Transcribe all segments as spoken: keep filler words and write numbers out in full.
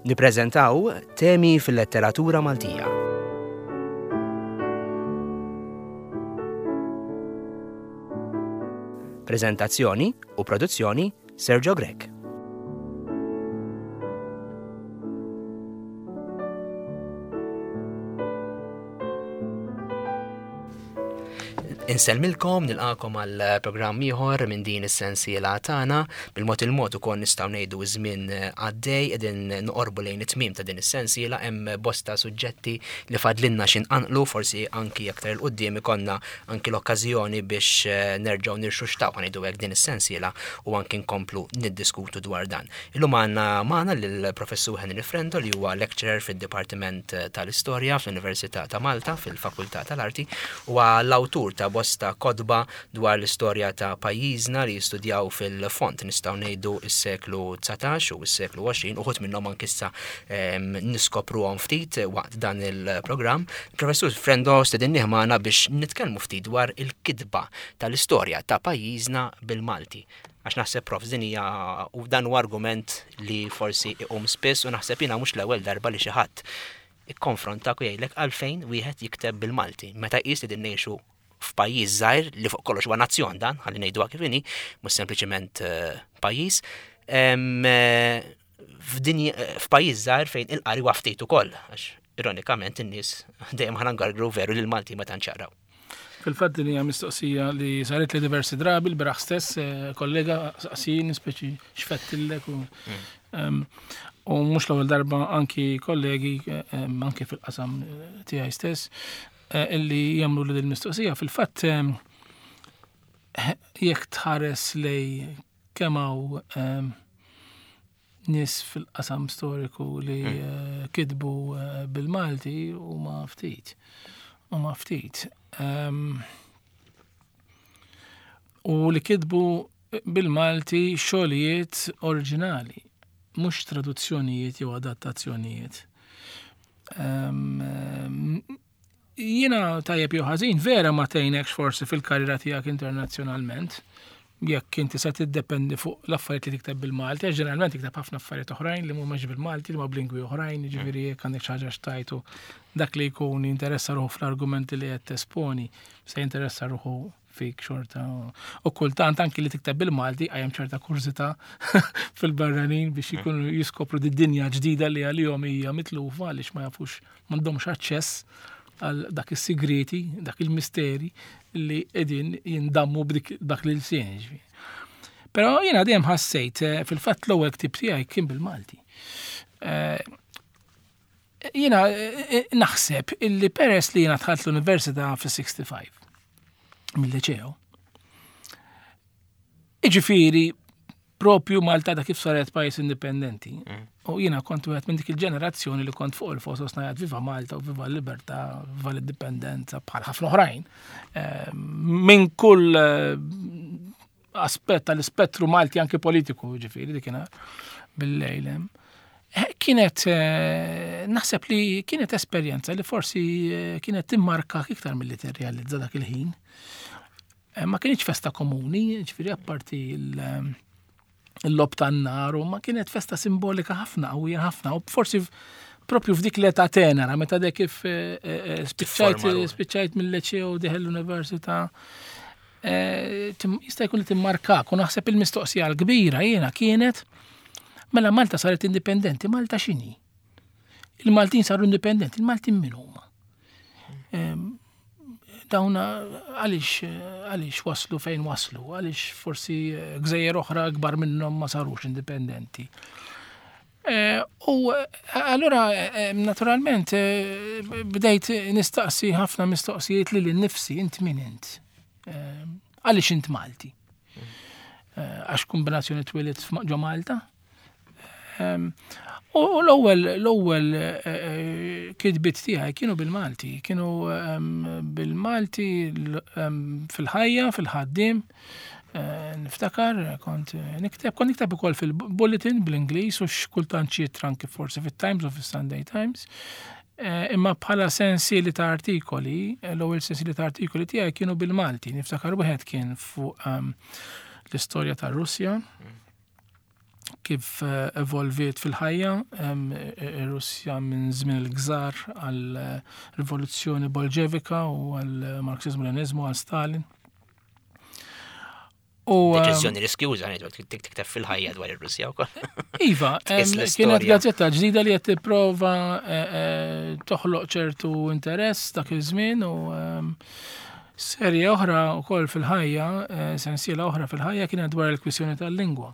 Nippreżentaw temi fil-letteratura Maltija. Prezentazzjoni u produzzjoni Sergio Grech. Insellmilkom, nilqakom għal programm ieħor minn din is-sensiela tagħna. Bil-mod il-mod ukoll nistgħu ngħidu żmien għaddej qegħdin noqorbu lejn it-tmiem ta' din is-sensiela, hemm bosta suġġetti li fadlinna xi nqanqlu, forsi anki aktar il quddiem ikollna anki l-okkażjoni biex nerġgħu nirxuxtaw ħa ngħidu hekk din is-sensiela u anki nkomplu niddiskutu dwar dan. Illum għandna magħna lill-Professur Henry Frendo li huwa lecturer fid-Dipartiment tal-Istorja fl-Università ta' Malta fil-Fakultà tal-Arti, huwa l-awtur ta' bosta kotba dwar l-istorja ta' pajjiżna li jistudjaw fil-fond, nistgħu ngħidu s-seklu dsatax u s-seklu għoxrin, uħud minnhom anki issa niskopruhom ftit waqt dan il-programm. Professur Frendo stedinnieh magħna biex nitkellmu ftit dwar il-kitba tal-istorja ta' pajjiżna bil-Malti. Għax naħseb, Prof, din hija u dan huwa argument li forsi iqum spiss u naħseb jiena mhux l-ewwel darba li xi ħadd ikkonfrontak u jgħidlek għalfejn wieħed jikteb bil-Malti meta jqis li din ngħixu f'pajjiż żgħir li fuq kollox huwa nazzjon dan, ħalli ngħiduha kif inhi, mhux sempliċement pajjiż, f'pajjiż żgħir fejn il-qari huwa ftit ukoll, għax ironikament in-nies dejjem ħana ngargru veru li l-Malti ma tantx jaqraw. Fil-fatt din hija mistoqsija li saret li diversi drabi l-beraħ stess, kollega saqsini speċi x'fettillek u u mhux l-ewwel darba anki kollegi anki fil-qasam tiegħi stess illi jagħmlu li l-mistoqsija. Fil-fatt jekk tħares lej kemm hawn nies fil-qasam storiku li kitbu bil-Malti huma ftit. Huma ftit. U li kitbu bil-Malti xogħlijiet oriġinali, mhux traduzzjonijiet jew adattazzjonijiet. Jiena tajjeb jew ħażin vera ma tgħinekx forsi fil-karriera tiegħek internazzjonalment, jekk inti se tiddependi fuq l-affarijiet li tikteb bil-Malti, għax ġeneralment tikteb ħafna affarijiet oħrajn li mhumiex bil-Malti, li huma b'lingwi oħrajn, jiġifieri jekk għandek xi ħaġa x'tajtu dak li jkun jinteressa ruħu fl-argumenti li qed tesponi, se jinteressa ruħu fik xorta. U kultant anki li tikteb bil-Malti għajem ċerta kurżità fil-barranin biex jkunu jiskopru di dinja ġdida li għalihom hija mitlufa għaliex ma jafux, m'għandhomx aċċess għal dak is-sigreti, dak il-misteri li qegħdin jindammu b'dik dak l-ilsien, ġifieri. Però jiena dejjem ħassejt, fil-fatt l-ewwel ktieb tiegħi kien bil-Malti. Jiena naħseb illi peress li jiena dħalt l-università fis-sixty-five mill-liceo. Iġifieri propju Malta da kif saret pajjiż indipendenti. U jiena kont wieħed minn dik il-ġenerazzjoni li kont fuq il-fosos ngħid viva Malta u viva l-libertà, viva l-indipendenza bħal ħafna oħrajn. Minn kull aspett tal-ispettru Malti anke politiku, ġifieri dik kien bil-lejl hemm. Kienet, naħseb li kienet esperjenza li forsi kienet timmarka iktar milli tirrealizza dak il-ħin. Ma kienx festa komuni, ġifieri apparti il-lob tan-nar, u ma kienet festa simbolika ħafna, qawwija ħafna, u forsi propju f'dik l-età tenera, meta dek kif spiċċajt spiċċajt mill-liceo deħel l-università, jista' jkun li timmarkak, u naħseb il-mistoqsija l-kbira jiena kienet mela Malta saret indipendenti, Malta x'inhi? Il-Maltin saru indipendenti, il-Maltin min huma? Dawna għaliex, għaliex waslu fejn waslu, għaliex forsi gżejjer oħra akbar minnhom ma sarux indipendenti. U allura naturalment bdejt nistaqsi ħafna mistoqsijiet lili nnifsi, int min int? Għaliex int Malti? Għax kombinazzjoni twielidt ġo Malta? U l-ewwel, l-ewwel kitbiet tiegħi kienu bil-Malti, kienu bil-Malti fil-ħajja, fil-ħaddiem. Niftakar, kont nikteb, kont nikteb ukoll fil-bulletin bl-Ingliż u x'kultant xi anki forsi fit-Times u fis-Sunday Times. Imma bħala sensieli ta' artikoli, l-ewwel sensieli ta' artikoli tiegħi kienu bil-Malti. Niftakar wieħed kien fuq l-istorja tar-Russja. Kif eh, evolviet fil-ħajja ir-Russja minn żmien il-Gżar għal rivoluzzjoni Bolxevika u għal Marxizmu Leninizmu, għal Stalin. U deċiżjoni riskjuża ngħidu tikteb fil-ħajja dwar ir-Russja wkoll. Iva, kienet gazzetta ġdida li qed tipprova eh, eh, toħloq ċertu interess dak iż-żmien u serje oħra wkoll fil-ħajja, sensiela oħra fil-ħajja, kienet dwar il-kwistjoni tal-lingwa.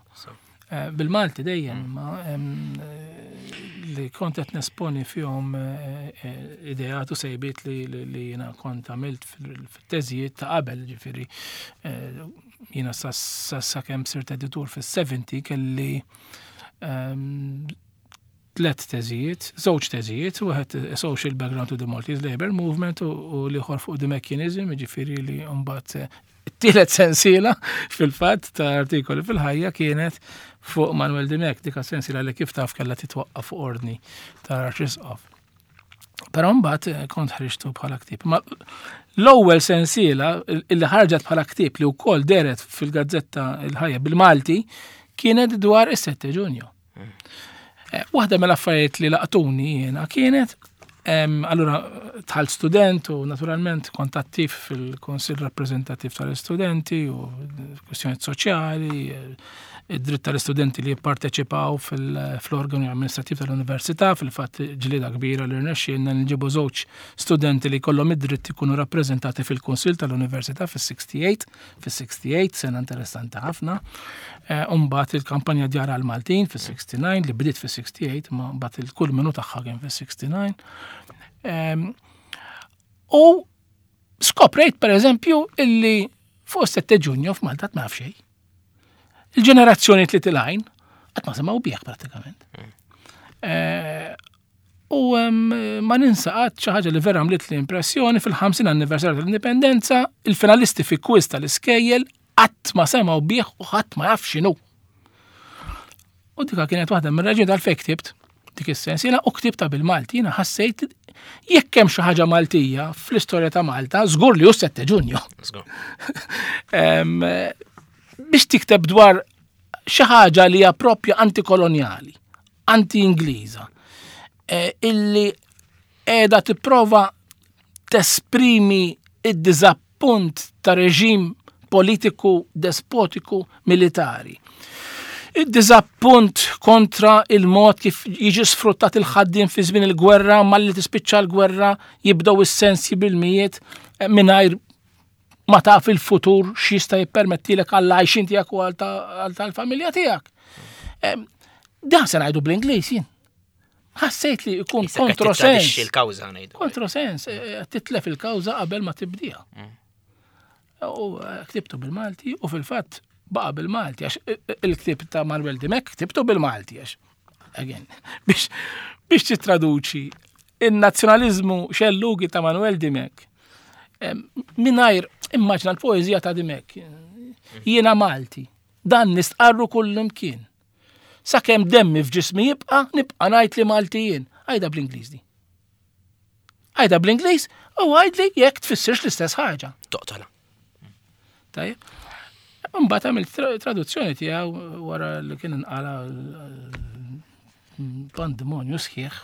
Eh, bil-Malti dejjem, mm. ma eh, li kont qed nesponi fihom eh, ideat u sejbiet li li jiena kont għamilt fit-teżijiet ta' qabel, ġifieri jiena sa sakemm sirt editur fis-sebgħa kelli ehm, tlet teżijiet, żewġ teżijiet, wieħed Social Background to the Maltese Labour Movement u l-ieħor fuq the Mechanism, ġifieri li mbagħad it-tielet sensiela fil-fatt ta' artikoli fil-ħajja kienet fuq Manuel Dimech, dik sensiela li kif taf kellha titwaqqaf fuq ordni ta' Arċisqof. Però mbagħad eh, kont ħriġtu bħala ktieb. Ma l-ewwel sensiela illi ħarġet bħala ktieb li wkoll dehret fil-gazzetta Il-Ħajja bil-Malti kienet dwar is-sette Ġunju. Eh, waħda mill-affarijiet li laqtuni jiena kienet, allura dħalt student u naturalment kont attiv fil-Konsil Rappresentativ tal-Istudenti u kwistjonijiet soċjali, id-dritt tal-istudenti li jipparteċipaw fil-organi amministrativ tal-università, fil-fatt ġlida kbira li rnexxielna nġibu żewġ studenti li kollhom id-dritt ikunu rappreżentati fil-Kunsill tal-Università fis-sessanta u tmienja, fis-sessanta u tmienja, sena interessanti ħafna. Umbagħad il-kampanja Djar għal-Maltin fis-sessanta u disa li bdiet fis-sessanta u tmienja, ma mbagħad il-kulminu tagħha kien fis-sessanta u disa. U skoprejt, per eżempju, illi fuq sette Ġunju f'Malta ma naf xejn. Il-ġenerazzjoni li telgħin qatt ma semgħu bih pratikament. Eh, u ma ninsa qatt xi ħaġa li vera għamlet li impressjoni: fil-ħamsin anniversarju tal-Indipendenza, il-finalisti fi quiz tal-iskejjel qatt ma semgħu bih u ħadd ma jaf x'inhu. U dika kienet waħda mir-raġuni tal-fejn ktibt dik is-sensiela u ktibta bil-Malti. Jiena ħassejt jekk hemm xi ħaġa Maltija fl-istorja ta' Malta, żgur li hu sette Ġunju. Biex tikteb dwar xi ħaġa li hija propja antikolonjali, anti-Ingliża, eh, illi qiegħda tipprova tesprimi id-diżappunt ta' reġim politiku despotiku militari. Id-diżappunt kontra il-mod kif jiġi sfruttat il-ħaddiem fi żmien il-gwerra, malli tispiċċa l-gwerra jibdew is-sensji bil-mijiet eh, mingħajr ma taf il-futur x'jista' jippermettilek għall-għajxin tiegħek u għal tal-familja tiegħek. Dan se ngħidu bl-Ingliż jien. Ħassejt li jkun kontrosens. Il-kawża ngħidu. Kontrosens, eh, titlef il-kawża qabel ma tibdija. Mm. U eh, ktibtu bil-Malti u fil-fatt baqa bil-Malti, għax il-ktib ta' Manuel Dimech ktibtu bil-Malti, għax again, biex biex titraduċi il-nazzjonalizmu xellugi ta' Manuel Dimech mingħajr, immaġna l-poezija ta' Dimech: "Jiena Malti, dan nistqarru kull imkien. Sakemm demmi f'ġismi jibqa', nibqa' ngħid li Malti jien." Għidha bl-Ingliż di. Għidha bl-Ingliż u għidli jekk tfissirx l-istess ħaġa. Toqtola. Tajjeb. Mbagħad għamilt traduzzjoni tiegħu wara li kien inqala pandemonju sħiħ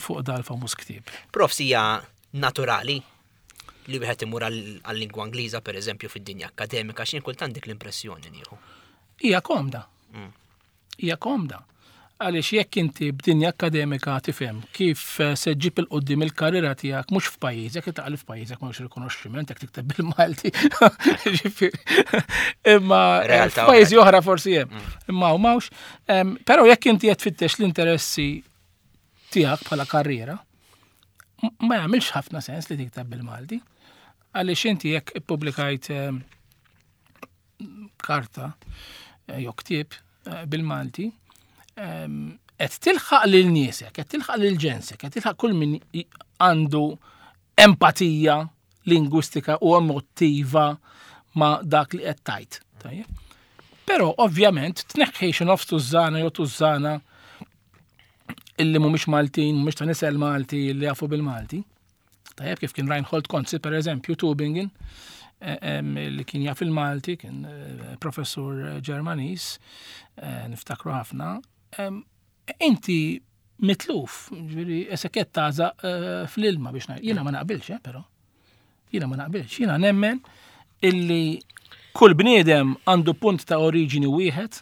fuq dal-famuż ktieb. Prof, hija naturali li wieħed imur għal-lingwa Ingliża, per eżempju, fid-dinja akademika? X'in kultant dik l-impressjoni nieħu. Hija komda. Mm. Hija komda. Għaliex jekk inti b'dinja akademika tifhem kif eh, se ġġib 'il quddiem il-karriera tiegħek mhux f'pajjiżek, taqli f'pajjiżek m'hawnx rikonoxximent jekk tikteb bil-Malti. Imma eh, f'pajjiżi oħra forsi hemm. Mm. Imma m'hawnx. Però jekk inti qed tfittex l-interessi tiegħek bħala karriera, ma jagħmilx ħafna sens li tikteb bil-Malti. Għaliex inti jekk ippubblikajt karta eh, jew ktieb bil-Malti, qed tilħaq lil niesek, qed tilħaq lil ġensek, qed tilħaq kull min għandu empatija lingwistika u emotiva ma' dak li qed tgħid. Però ovvjament tneħħi xi nofs tużżana jew tużżana illi mhumiex Maltin, mhumiex ta' nisel Malti, li jafu bil-Malti. Tajjeb, kif kien Reinhold Conze, per eżempju, Tübingen, li kien jaf il-Malti, kien professur Ġermaniż, niftakru ħafna. Inti mitluf, ġifieri qisek tagħżaq fl-ilma biex ngħid. Jiena ma naqbilx, eh, però. Jiena ma naqbilx. Jiena nemmen illi kull bniedem għandu punt ta' oriġini wieħed,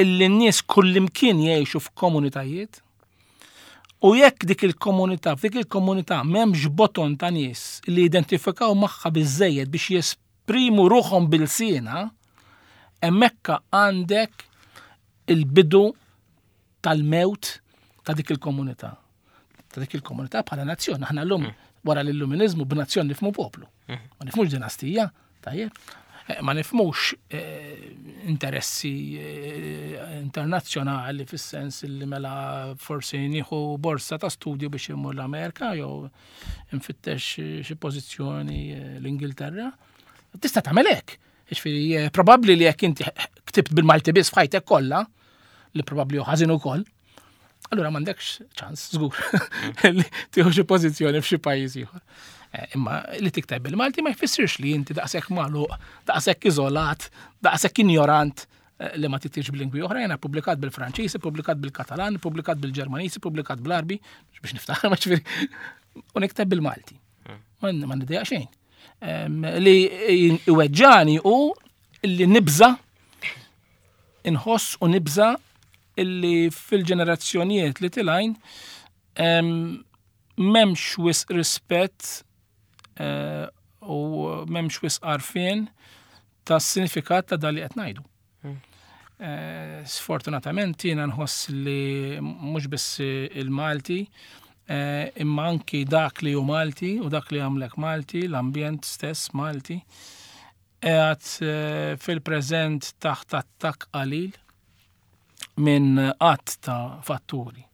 illi n-nies kullimkien jgħixu f'komunitajiet, u jekk dik il-komunità, f'dik il-komunità m'hemmx boton ta' nies li identifikaw magħha biżejjed biex jesprimu ruħhom bil-sena, hemmhekk għandek il-bidu tal-mewt ta' dik il-komunità. Ta' dik il-komunità bħala nazzjon. Aħna llum wara l-illuminizmu b'nazzjon nifhmu poplu. Ma nifhmux dinastija, tajjeb. Ma nifhmux interessi internazzjonali fis-sens li mela forsi nieħu borsa ta' studju biex immur l-Amerika jew nfittex xi pożizzjoni l-Ingilterra. Tista' tagħmel hekk. Jiġifieri probabbli li jekk inti ktibt bil-Malti biss f'ħajtek kollha, li probabbli hu ħażin ukoll, allura m'għandekx ċans, żgur, li tieħu xi pożizzjoni f'xi pajjiż ieħor. Imma li tikteb bil-Malti ma jfissirx li inti daqshekk magħluq, daqshekk iżolat, daqshekk injorant li ma tiktibx b'lingwi oħra. Jiena ppubblikat bil-Franċiż, ippubblikat bil-Katalan, ippubblikat bil-Ġermaniż, ippubblikat bl-Arbi, biex niftaħ, ma ġifieri, u nikteb bil-Malti. Ma niddejjaq xejn. Li iweġġani hu li nibża, inħoss u nibża illi fil-ġenerazzjonijiet li tilgħin m'hemmx wisq rispett u m'hemmx wisq għarfien ta' sinifikat ta' dak li qed ngħidu. Sfortunatament jiena nħoss li mhux biss il-Malti, imma anki dak li hu Malti u dak li għamlek Malti, l-ambjent stess Malti, qiegħed fil-preżent taħt attakk qalil minn qatt ta' fatturi.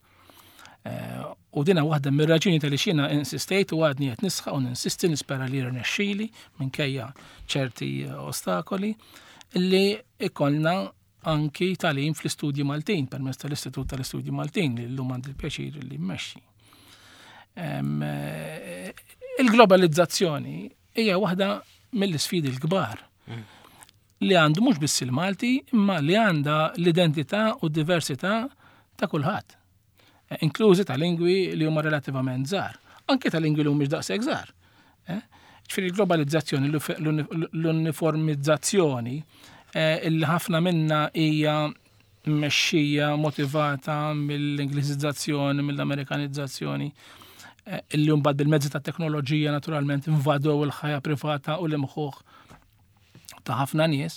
U dina waħda mir-raġuni tal jiena insistejt u għadni qed nisħaq u ninsisti, nispera li rnexxieli minkejja ċerti ostakoli, li ikollna anki tagħlim fl-istudji Maltin permezz tal-Istitut tal-Istudji Maltin li llum għandi l-pjaċir li mmexxi. Il-globalizzazzjoni hija waħda mill-isfidi l-kbar li għandu mhux biss il-Malti, imma li għandha l-identità u d-diversità ta' kulħadd, inklużi ta' lingwi li huma relattivament żgħar, anke ta' lingwi li mhumiex daqshekk żgħar. Ġifieri l-globalizzazzjoni, l-uniformizzazzjoni, illi ħafna minna hija mmexxija, motivata mill-Ingliżizzazzjoni, mill-Amerikanizzazzjoni, illi mbagħad bil-mezzi ta' teknoloġija naturalment invadew il-ħajja privata u l-imħuħ ta' ħafna nies,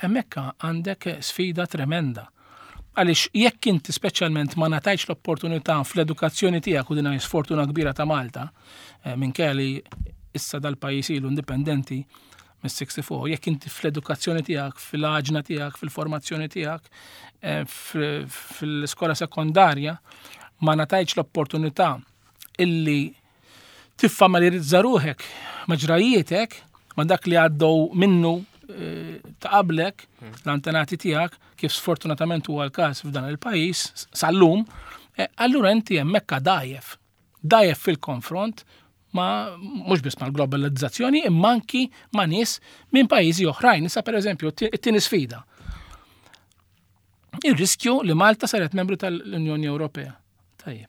hemmhekk għandek sfida tremenda. Għaliex jekk inti speċjalment ma ngħatajtx l-opportunità fl-edukazzjoni tiegħek, u din hija sfortuna kbira ta' Malta, minkejja li issa dal-pajjiż ilu indipendenti mis-sixty-four, jekk inti fl-edukazzjoni tiegħek, fil-għaġna tiegħek, fil-formazzjoni tiegħek, fil-iskola sekondarja, ma ngħatajtx l-opportunità illi tiffamiljarizza ruħek ma' ġrajjietek, ma' dak li għaddew minnu ta' qablek, l-antenati tiegħek, kif sfortunatament huwa l-każ f'dan il-pajjiż sal-lum, allura inti hemmhekk dgħajjef. Dgħajjef fil-konfront ma' mhux biss mal-globalizzazzjoni, imma anki ma' nies minn pajjiżi oħrajn. Issa pereżempju it-tieni sfida. Ir-riskju li Malta saret membru tal-Unjoni Ewropea. Tajjeb.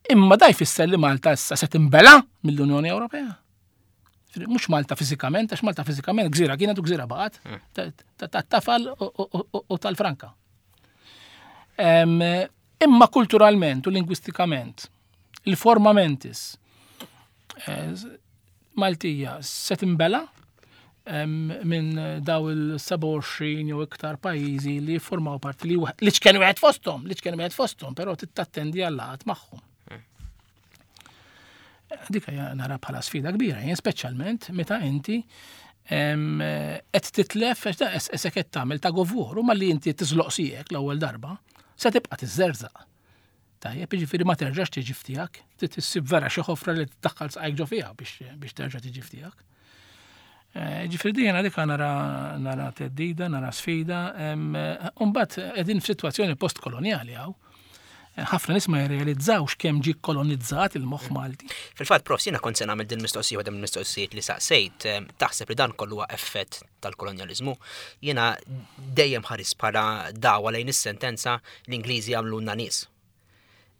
Imma da jfisser li Malta issa se tinbela mill-Unjoni Ewropea. Mhux Malta fiżikament, għax Malta fiżikament gżira kienet u gżira baqgħet, ta' tafal u tal-franka. Imma kulturalment u lingwistikament, il-forma mentis Maltija se tinbela minn daw il-sebgħa u għoxrin jew iktar pajjiżi li jiffurmaw parti li li ċken wieħed fosthom, li ċken wieħed fosthom, però tittattendi għall-laqgħat magħhom. Dik hija nara bħala sfida kbira, jien speċjalment meta inti qed titlef, għax da qisek qed tagħmel ta' govur, u malli inti tiżloq siegħek l-ewwel darba, se tibqa' tiżżerżaq. Tajjeb, jiġifieri ma terġax tiġi f'tiegħek, trid issib vera xi ħofra li tiddaħħal saqajk ġo fiha biex, biex terġa' tiġi f'tiegħek. Ġifieri din jiena dik nara, nara teddida, nara sfida, u mbagħad qegħdin f'sitwazzjoni postkolonjali hawn. Ħafna nies ma jirrealizzawx kemm ġie kolonizzat il-moħħ Malti. Fil-fatt, prof, jiena kont se nagħmel din mistoqsija, waħda mill-mistoqsijiet li saqsejt, eh, taħseb li dan kollu huwa effett tal-kolonjaliżmu? Jiena dejjem ħares bħala dawa lejn is-sentenza "l-Ingliżi għamluna nies".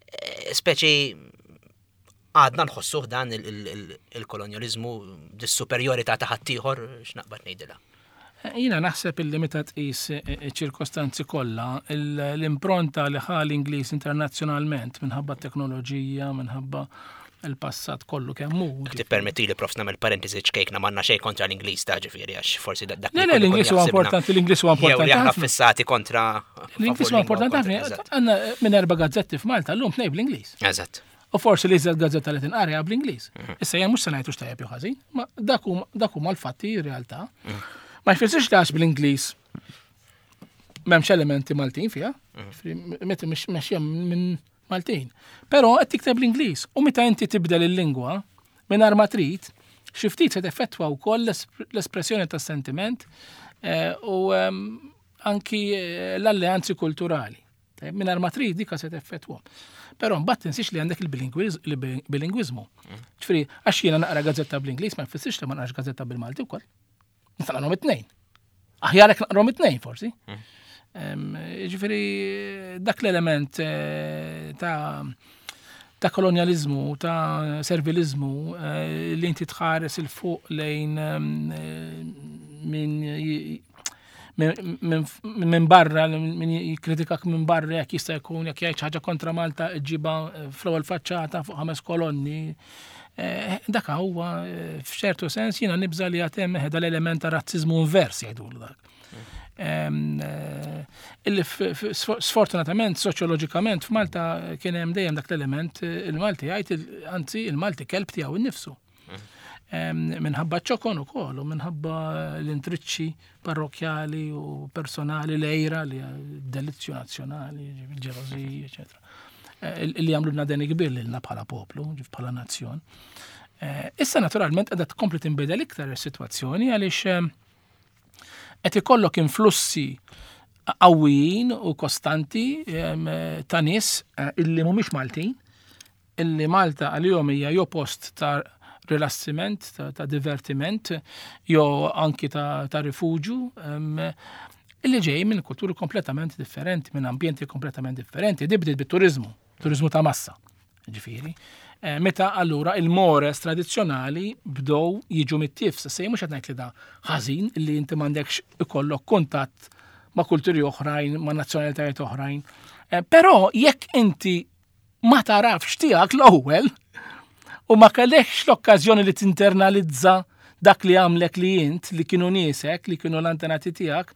Eh, Speċi għadna nħossuh dan il- il- il- il-kolonjaliżmu, dis-superjorità ta' ħaddieħor, x'naqbad ngħidilha. Jiena naħseb illi meta tqis ċirkostanzi kollha, l-impronta li ħa l-Ingliż internazzjonalment minħabba t-teknoloġija, minħabba il-passat kollu kemm hu. Tippermetti li, prof, nagħmel parentesi ċkejkna, m'għandna xejn kontra l-Ingliż ta' ġifieri, għax forsi dak Le, le, l-Ingliż huwa importanti, l-Ingliż huwa importanti. Jew li aħna fissati kontra. L-Ingliż huwa importanti ħafna. Għandna minn erba' gazzetti f'Malta llum tnejn bl-Ingliż. Eżatt. U forsi li iżjed gazzetta li tinqara bl-Ingliż. Issa jien mhux se ngħidu x'tajjeb jew ħażin, ma dak huma l-fatti, realtà. Ma jfissirx li għax bl-Ingliż m'hemmx elementi Maltin fiha, meta mexja minn Maltin. Però qed tikteb l-Ingliż u meta inti tibdel il-lingwa mingħajr ma trid, xi ftit se teffettwa wkoll l-espressjoni tas-sentiment eh, u ehm, anki eh, l-alleanzi kulturali. Mingħajr ma trid dika se teffettwa. Però mbagħad tinsiex li għandek il-bilingwiżmu. Ġifieri, għax jiena naqra gazzetta bl-Ingliż ma jfissirx li ma naqrax gazzetta bil-Malti wkoll. Nista' naqrahom it-tnejn. Aħjar hekk naqrahom it-tnejn forsi. Ġifieri dak l-element eh, ta' ta' kolonializmu, ta' servilizmu, eh, li inti tħares 'il fuq lejn eh, minn minn barra, min jikkritikak minn barra, jekk jista' jkun jekk jgħid ħaġa kontra Malta ġiba fl-ewwel faċċata fuq ħames kolonni. Dak huwa f'ċertu sens jiena nibża li għad hemm l-element ta' razzizmu invers jgħidulu dak. Illi sfortunatament soċjoloġikament f'Malta kien hemm dejjem dak l-element, il-Malti jgħid, anzi il-Malti kelb tiegħu innifsu. Minħabba ċokon ukoll u minħabba l-intriċċi parrokjali u personali, l-għira li delizzju nazzjonali, ġelożiji, eċetera. Illi għamlu deni kbir lilna bħala poplu, bħala nazzjon. Issa naturalment qiegħda tkompli tinbidel iktar is-sitwazzjoni għaliex qed ikollok influssi qawwijin u kostanti ta' nies illi mhumiex Maltin, illi Malta għalihom hija jew post ta' rilassiment, ta', ta divertiment, jew anki ta', ta' rifuġju, illi ġej minn kulturi kompletament differenti, minn ambjenti kompletament differenti, di bdiet bit-turizmu, turizmu ta' massa, ġifieri. Meta allura il-mores tradizzjonali bdew jiġu mit-tifs, se mhux qed ngħid li da ħażin li inti m'għandekx ikollok kuntatt ma' kulturi oħrajn, ma' nazzjonalitajiet oħrajn. Però jekk inti ma tarafx tiegħek l-ewwel u ma kellekx l-okkażjoni li tinternalizza dak li għamlek li int, li kienu niesek, li kienu l-antenati tiegħek,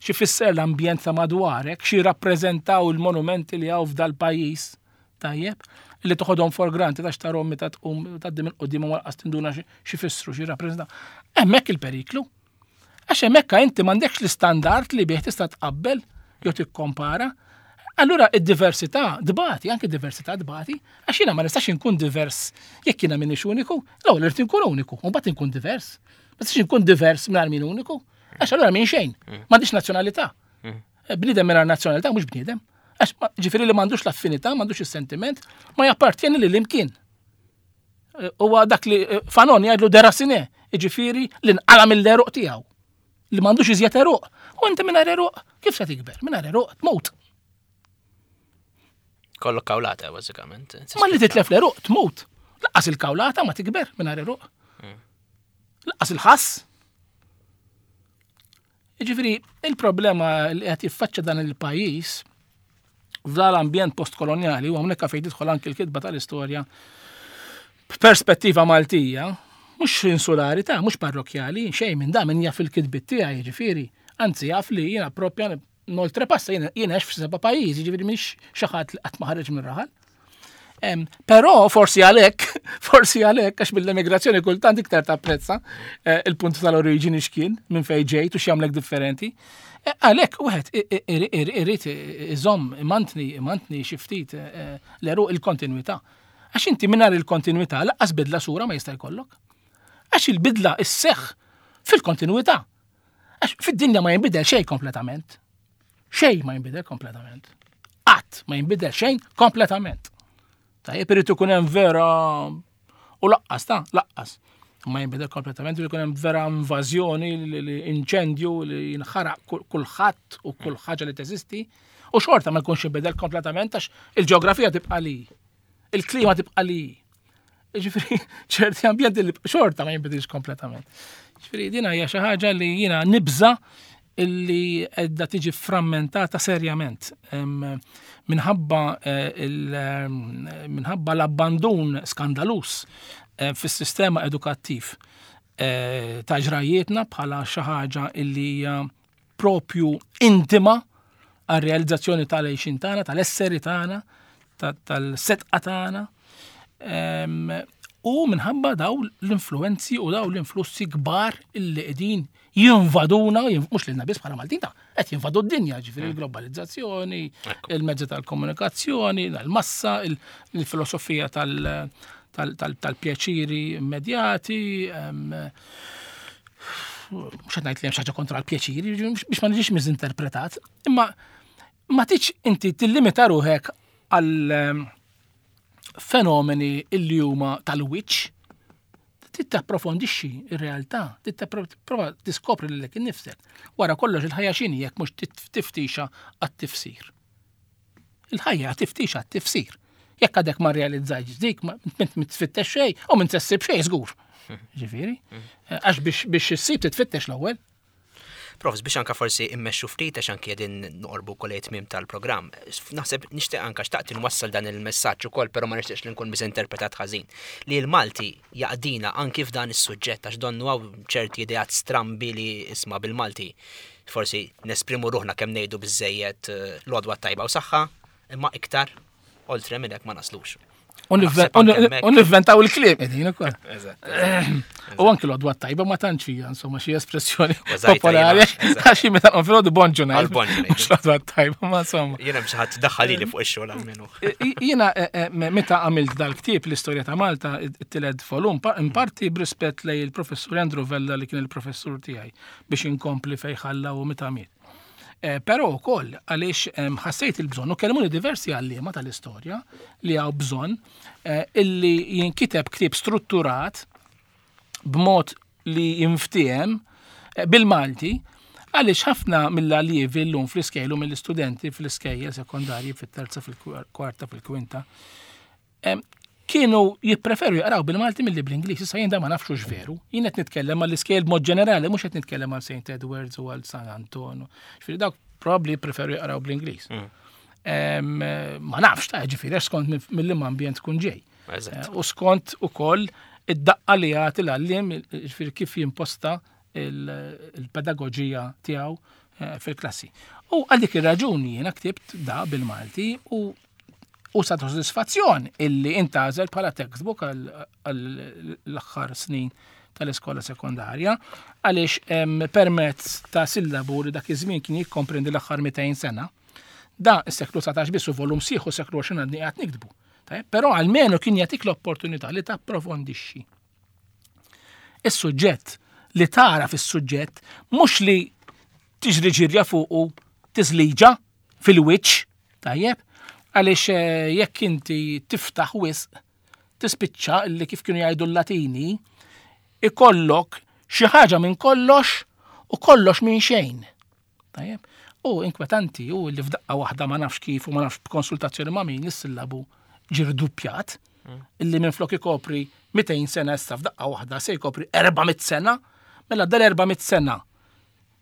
xi fisser l-ambjent ta' madwarek, xi rappreżentaw il-monumenti li hawn f'dal pajjiż, tajjeb, li toħodhom for granted għax tarhom meta tqum tgħaddi minn quddiem u lanqas tinduna xi fissru, xi rappreżentaw. Hemmhekk il-periklu. Għax hemmhekk inti m'għandekx l-istandard li bih tista' tqabbel jew tikkompara. Allura id-diversità dbati, anke diversità dbati, għax jiena ma nistax inkun divers jekk jiena m'iniex uniku. L-ewwel irid inkun uniku, u mbagħad inkun divers. Ma nistax inkun divers mingħajr min uniku, għax allura min xejn, m'għandix nazzjonalità. Bniedem mingħajr nazzjonalità mhux bniedem. Għax ġifieri li m'għandux l-affinità, m'għandux is-sentiment, ma jappartjeni lil imkien. Huwa dak li Fanon jgħidlu déraciné, ġifieri li nqala mill-għeruq tiegħu. Li m'għandux iżjed għeruq. U inti mingħajr għeruq, kif se tikber? Mingħajr għeruq tmut. Kollok kawlata, bażikament. Ma li titlef l-għeruq, tmut. Lanqas il-kawlata ma tikber mingħajr għeruq. Lanqas il-ħass. Ġifieri, il-problema li qed jiffaċċja dan il-pajjiż f'dal-ambjent postkoloniali, u hawnhekk fejn tidħol anki l-kitba tal-istorja b'perspettiva Maltija, mhux insulari ta' mhux parrokjali, xejn minn da, min jaf il-kitbit tiegħi, ġifieri, anzi jaf li jiena propja noltrepassa, jiena għext f'seba' pajjiżi, ġifieri mhix xi ħadd li qatt ma ħareġ minn raħal. Però forsi għalhekk, forsi għalhekk, għax mill-emigrazzjoni kultant iktar tapprezza il-punt tal-oriġini x'kien, minn fejn ġejt u x'jagħmlek differenti. Għalhekk wieħed irid iżomm, imantni, imantni xi ftit l-għeruq, il-kontinwità. Għax inti mingħajr il-kontinwità lanqas bidla sura ma jista' jkollok. Għax il-bidla isseħħ fil-kontinwità. Għax fid-dinja ma jinbidel xejn kompletament. Xejn ma jinbidel kompletament. Qatt ma jinbidel xejn kompletament. Tajjeb, irid ikun hemm vera u laqqas ta' laqqas. Ma jinbidel kompletament, irid ikun hemm vera invażjoni, li- li inċendju li jinħaraq kull- kulħadd u kull ħaġa li teżisti. U xorta ma jkunx jinbidel kompletament għax il-ġeografija tibqa' li. Il-klima tibqa' li. Ġifieri, ċerti ambjenti li xorta ma jinbidilx kompletament. Ġifieri, dina hija xi ħaġa li jiena nibża illi edda tiġi frammentata serjament. Em, Minħabba eh, il- em, minħabba l-abbandun skandalus eh, fis-sistema edukattiv eh, ta' ġrajietna bħala xi ħaġa illi hija propju intima għal-realizzazzjoni tal-għixin tagħna, tal-esseri tagħna, ta- tal-setqa tagħna. Em, U minħabba daw l-influenzi u daw l-influssi kbar illi qegħdin jinvaduna, jin- mhux lilna biss bħala Maltin ta' qed jinvadu d-dinja, ġifieri l-globalizzazzjoni, il-mezzi tal-komunikazzjoni, l-massa, il- il-filosofija tal- tal- tal- tal-pjaċiri immedjati, em, mhux qed ngħid li hemm xi ħaġa kontra l-pjaċiri, biex ma niġix miżinterpretat, imma ma tiġ inti tillimita ruħek għal em, fenomeni illi huma tal-wiċċ, trid tapprofondixxi ir-realtà, trid prova tiskopri lilek innifsek. Wara kollox, il-ħajja x'inhi jekk mhux tit- tiftixa għat-tifsir? Il-ħajja tiftixa għat-tifsir. Jekk għadek ma realizzajx dik, ma int ma tfittex xejn u m'int ssib xejn żgur. Ġifieri, għax biex biex issib titfittex l-ewwel. Profs, biex anka forsi immexxu ftit, għax anki qegħdin noqorbu kol tmiem tal-programm. Naħseb nixtieq anka xtaqt nwassal dan il-messaġġ ukoll, però ma nixtieqx li nkun misinterpretat ħażin. Li l-Malti jaqdina anki f'dan is-suġġett, għax donnu hawn ċerti ideat strambi li isma' bil-Malti. Forsi nesprimu ruħna kemm ngħidu biżejjed eh, l-għodwa tajba u saħħa, imma iktar oltre minn hekk ma naslux. U Naħseb anke hemmhekk. U nivventaw il-kliem qegħdin ukoll. Eżatt. U anki l-għodwa tajba ma tantx hija insomma xi espressjoni Użajta popolari jiena, eżatt. għax meta nqum filgħodu bonġu ngħid. Għal bonġu ngħidu. Mhux l-għodwa tajba, ma insomma. Jiena biex ħadd daħħalili fuq ix-xogħol almenu. I- Jiena eh, eh, me- meta għamilt dal-ktieb, l-istorja ta' Malta, it-tielet volum, pa- in parti b'rispett lej il-professur Andrew Vella li kien il-professur tiegħi biex inkompli fej ħalla u meta miet. Eh, Però wkoll għaliex em, ħassejt il-bżonn u kelmuni diversi għalliema tal-istorja li hawn bżonn eh, illi jinkiteb ktieb strutturat b'mod li jinftiehem eh, bil-Malti, għaliex ħafna mill-allievi llum fl-iskejjel u mill-istudenti fl-iskejjel sekondarji, fit-terza, fil-kwarta, fil-kwinta, em, kienu jippreferu jaqraw bil-Malti milli bl-Ingliż. Issa jien da ma nafx veru. Jien qed nitkellem għall-iskejjel b'mod ġenerali, mhux qed nitkellem għal Saint Edwards u għal San Anton. Ġifieri dawk probabbli jippreferu jaqraw bl-Ingliż. Em, Ma nafx ta' ġifieri għax skont mill-liema ambjent tkun ġej. Eżatt. Eh, U skont ukoll id-daqqa li jagħti l-għalliem, ġifieri kif jimposta il- il-pedagogija tiegħu eh, fil-klassi. U għal dik ir-raġuni jiena ktibt da bil-Malti u u sa sodisfazzjon illi intgħażel bħala textbook għall-aħħar snin tal-iskola sekondarja, għaliex em, permezz ta' sillabu li dak iż-żmien kien jikkomprendi l-aħħar mitejn sena, da s-seklu dsatax biss u volum sieħu seklu għoxrin għadni għad niktbu. Tajjeb, però almenu kien jagħtik l-opportunità li tapprofondixxi is-suġġett, li tara fis-suġġett, mhux li tiġri ġirja fuqu tiżliġa fil-wiċċ, tajjeb, għaliex eh, jekk inti tiftaħ wisq tispiċċa li kif kienu jgħidu l-Latini, ikollok xi ħaġa minn kollox u kollox minn xejn. Tajjeb? U inkwetanti u li f'daqqa waħda, ma nafx kif u ma nafx b'konsultazzjoni ma' min, is-sillabu ġie rduppjat, illi minn flok ikopri mitejn sena issa f'daqqa waħda se jkopri erba' mitt sena, mela dal erba' mitt sena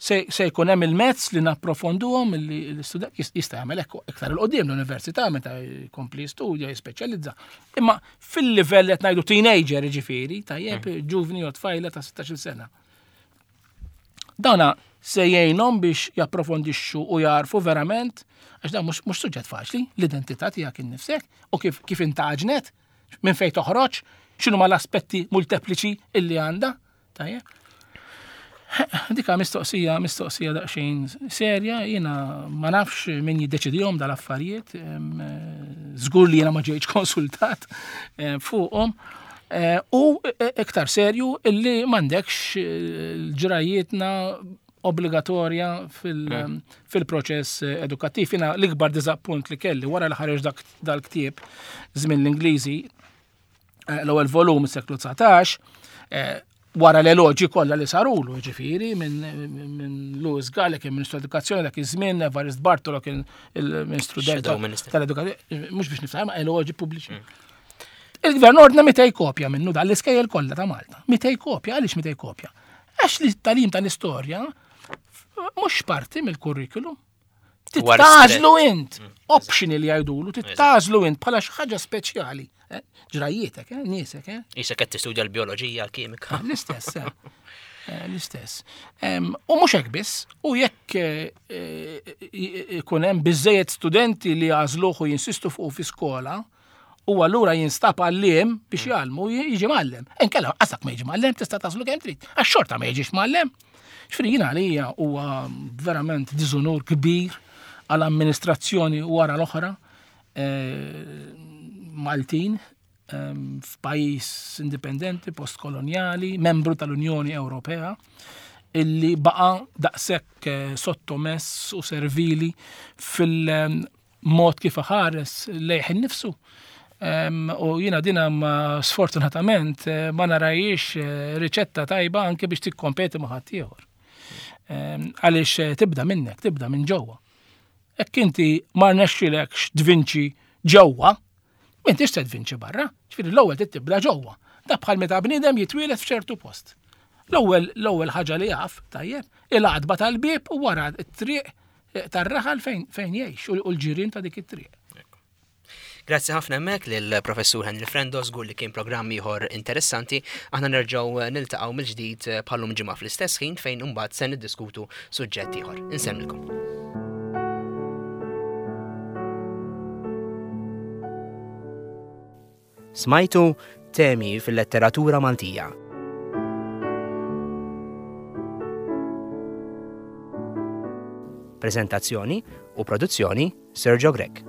se, se jkun hemm il-mezz li napprofonduhom li l-istudent jis- jista' jagħmel hekk iktar 'il quddiem l-università meta jkompli jistudja, jispeċjalizza. Imma fil-livell qed ngħidu teenager, ġifieri, tajjeb, ġuvni jew tfajla ta' sittax-il sena. Dana se jgħinhom biex japprofondixxu u jarfu verament, għax dan mhux mhux suġġett faċli, l-identità tiegħek innifsek u kif kif intaġnet, minn fejn toħroġ, x'inhu ma l-aspetti multepliċi illi għandha. Tajjeb. Dika mistoqsija, mistoqsija daqsxejn serja, jiena ma nafx min jiddeċidihom dal-affarijiet, em, eh, żgur li jiena ma ġejtx konsultat eh, fuqhom. Eh, U eh, iktar serju illi m'għandekx eh, l-ġrajietna obbligatorja fil-proċess edukattiv. Jiena l-ikbar diżappunt li kelli wara li ħareġ dak dal-ktieb Żmien l-Ingliżi, l-ewwel volum is-seklu dsatax, wara l-eloġi kollha li sarulu, ġifieri minn Louis Galli kien Ministru Edukazzjoni dak iż-żmien, Evarist Bartolo kien il-Ministru tal-Edukazzjoni, mhux biex niftaħ ma eloġi pubbliċi. Il-gvern ordna mitej kopja minnu dan l-iskejjel kollha ta' Malta. Mitej kopja, għaliex mitej kopja? Għax li t-tagħlim tal-istorja mhux parti mill-kurrikulum. Tittażlu int, optional jgħidulu, tittażlu int bħala xi ħaġa speċjali. Ġrajjietek, niesek. Isek qed tistudja l-bioloġija, l-kimika. L-istess, l-istess. U mhux hekk biss, u jekk ikun hemm biżejjed studenti li jagħżluh u jinsistu fuq fi skola, u allura jinstab għalliem biex jgħallmu, jiġi mgħallem. Inkella qasak ma jiġi mgħallem, tista' tagħżlu kemm trid. Għax xorta ma jiġix mgħallem. Ġifieri jiena għalija huwa verament diżunur kbir għall-amministrazzjoni wara l-oħra Maltin f'pajjiż indipendenti, postkolonjali, membru tal-Unjoni Ewropea, illi baqa' daqshekk sottomess u servili fil-mod kif ħares lejh innifsu. U jiena dina ma sfortunatament ma narajiex riċetta tajba anke biex tikkompeti ma' ħaddieħor. Għaliex tibda minnek, tibda minn ġewwa. Hekk inti ma rnexxilekx tvinċi ġewwa, m'intix se tvinċi barra. Ġifieri l-ewwel trid tibda ġewwa. Da bħal meta bniedem jitwieled f'ċertu post. L-ewwel l-ewwel ħaġa li jaf, tajjeb, il-għatba tal-bieb u wara t-triq tar-raħal fejn fejn jgħix u l-ġirien ta' dik it-triq. Grazzi ħafna hemmhekk lill-Professur Henry Frendo, żgur li kien programm ieħor interessanti. Aħna nerġgħu niltaqgħu mill-ġdid bħallum ġimgħa fl-istess ħin fejn imbagħad se niddiskutu suġġett ieħor. Insellmilkom. Smajtu temi fil-letteratura Maltija. Prezentazzjoni u produzzjoni Sergio Grech.